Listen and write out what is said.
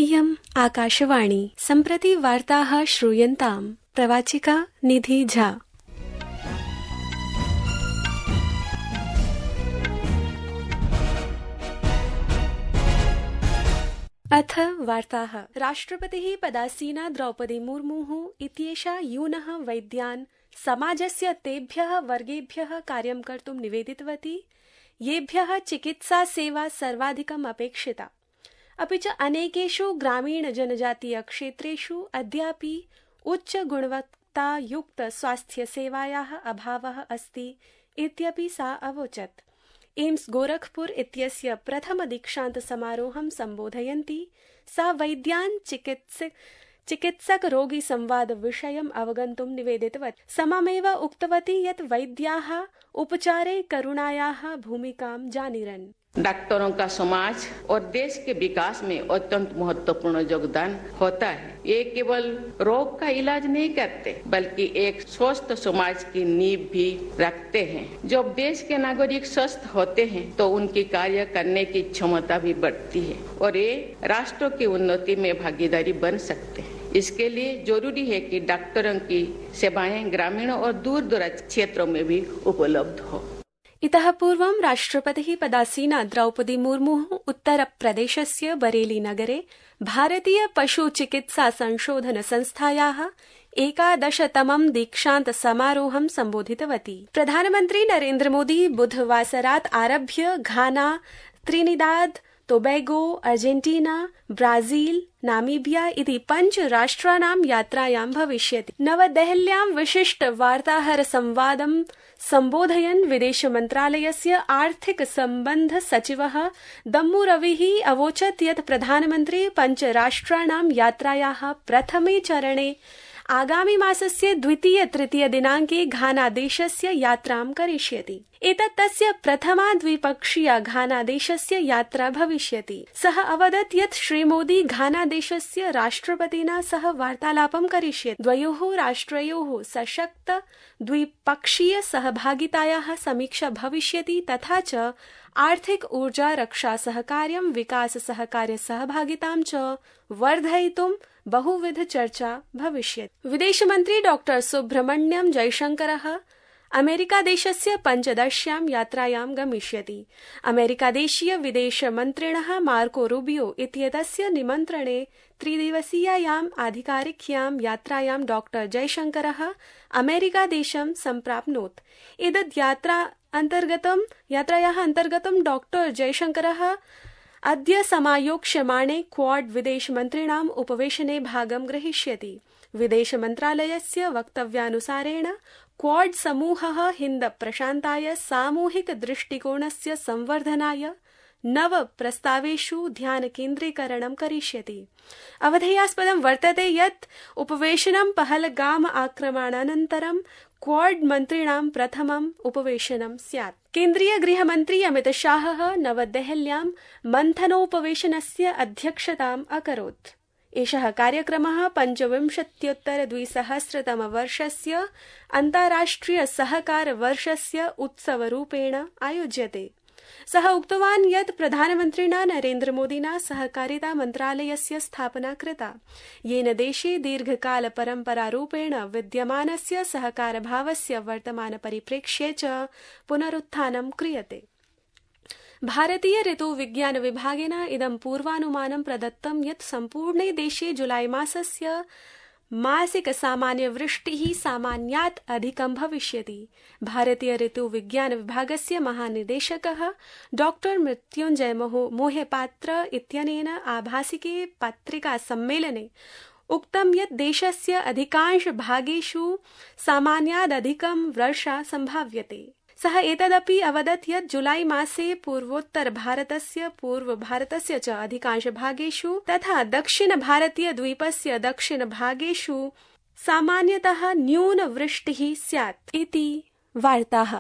इयम् आकाशवाणी। सम्प्रति वार्ताः श्रूयन्ताम्। प्रवाचिका निधि झा। अथ वार्ताः। राष्ट्रपतिः पदासीना द्रौपदी मुर्मुः इत्येषा यूनः वैद्यान् समाजस्य तेभ्यः वर्गेभ्यः कार्यं कर्तुं निवेदितवती येभ्यः चिकित्सा सेवा सर्वाधिकम् अपेक्षिता। अपि च अनेकेषु ग्रामीण जनजातीय क्षेत्रेषु अद्यापि उच्च गुणवत्तायुक्त स्वास्थ्य सेवायाः अभावः अस्ति इत्यपि सा अवोचत्। एम्स गोरखपुर इत्यस्य प्रथम दीक्षांत समारोहं सम्बोधयन्ती सा वैद्यान् चिकित्सक रोगी संवाद विषयम् अवगन्तुं निवेदितवती। सममेव उक्तवती यत् वैद्याः उपचारे करुणायाः भूमिकां जानीरन्। डॉक्टरों का समाज और देश के विकास में अत्यंत महत्वपूर्ण योगदान होता है। ये केवल रोग का इलाज नहीं करते बल्कि एक स्वस्थ समाज की नींव भी रखते हैं। जब देश के नागरिक स्वस्थ होते हैं तो उनकी कार्य करने की क्षमता भी बढ़ती है और ये राष्ट्र की उन्नति में भागीदारी बन सकते हैं। इसके लिए जरूरी है कि डॉक्टरों की सेवाएं ग्रामीण और दूर दराज क्षेत्रों में भी उपलब्ध हो। इतः पूर्वं राष्ट्रपतिः पदासीना द्रौपदी मुर्मुः उत्तरप्रदेशस्य बरेली नगरे भारतीय पशु चिकित्सा संशोधन संस्थायाः 11तमं दीक्षांत समारोहं सम्बोधितवती। प्रधानमन्त्री नरेन्द्र मोदी बुधवासरात् आरभ्य Ghana, Trinidad Tobago, Argentina, Brazil, Namibia इति 5 राष्ट्राणां यात्रायां भविष्यति। नवदेहल्यां विशिष्ट वार्ताहर संवादं सम्बोधयन् विदेश मन्त्रालयस्य आर्थिक सम्बन्ध सचिवः दम्मू रविः अवोचत् यत् प्रधानमन्त्री 5 राष्ट्राणां यात्रायाः प्रथमे चरणे आगामि मासस्य 2-3 दिनाङ्के घाना देशस्य यात्रां करिष्यति। एतत् तस्य प्रथमा द्विपक्षीया घाना देशस्य यात्रा भविष्यति। सः अवदत् यत् श्रीमोदी घाना देशस्य राष्ट्रपतिना सह वार्तालापं करिष्यति। द्वयोः राष्ट्रयोः सशक्त द्विपक्षीय सहभागितायाः समीक्षा भविष्यति तथा च आर्थिक ऊर्जा रक्षा सहकार्यं विकास सहकार्य सहभागितां च वर्धयितुं बहुविध चर्चा भविष्यति। विदेशमन्त्री डॉ सुब्रह्मण्यम जयशंकरः अमेरिकादेशस्य 15 यात्रायां गमिष्यति। अमेरिकादेशीय विदेशमन्त्रिणः मार्को रूबियो इत्येतस्य निमन्त्रणे 3 दिवसीयायाम् आधिकारिक्यां यात्रायां डॉ जयशंकरः अमेरिकादेशं सम्प्राप्नोत्। एतद् यात्रायाः अन्तर्गतं डॉ जयशंकरः अद्य समायोक्ष्यमाणे क्वाड विदेशमन्त्रिणाम् उपवेशने भागं ग्रहीष्यति। विदेशमन्त्रालयस्य वक्तव्यानुसारेण क्वाड समूहः हिन्द प्रशान्ताय सामूहिक दृष्टिकोणस्य संवर्धनाय 9 प्रस्तावेषु ध्यान केन्द्रीकरणं करिष्यति। अवधेयास्पदं वर्तते यत् उपवेशनं पहलगाम आक्रमणानन्तरं क्वाड मन्त्रिणां प्रथमम् उपवेशनं स्यात्। केन्द्रीय गृहमन्त्री अमित शाहः नवदेहल्यां मन्थनोपवेशनस्य अध्यक्षताम् अकरोत्। एषः कार्यक्रमः 25-200 अन्ताराष्ट्रिय सहकार वर्षस्य उत्सवरूपेण आयोज्यते। सः उक्तवान् यत् प्रधानमन्त्रिणा नरेन्द्र मोदिना सहकारिता मन्त्रालयस्य स्थापना कृता, येन देशे दीर्घकाल परम्परारूपेण विद्यमानस्य सहकारभावस्य वर्तमान परिप्रेक्ष्ये च पुनरुत्थानं क्रियते। भारतीय ऋतुविज्ञान विभागेन इदं पूर्वानुमानं प्रदत्तं यत् सम्पूर्णे देशे जुलाई मासस्य मासिक सामान्य वृष्टिः सामान्यात् अधिकं भविष्यति। भारतीय ऋतुविज्ञान विभागस्य महानिदेशकः डॉ मृत्युंजय मोहपात्र इत्यनेन आभासिके पत्रिका सम्मेलने उक्तं यत् देशस्य अधिकांश भागेषु सामान्यादधिकं वर्षा सम्भाव्यते। सः एतदपि अवदत् यत् जुलाई मासे पूर्वोत्तर भारतस्य च अधिकांश भागेषु तथा दक्षिण भारतीय द्वीपस्य दक्षिण भागेषु सामान्यतः न्यून वृष्टिः स्यात् इति वार्ताः।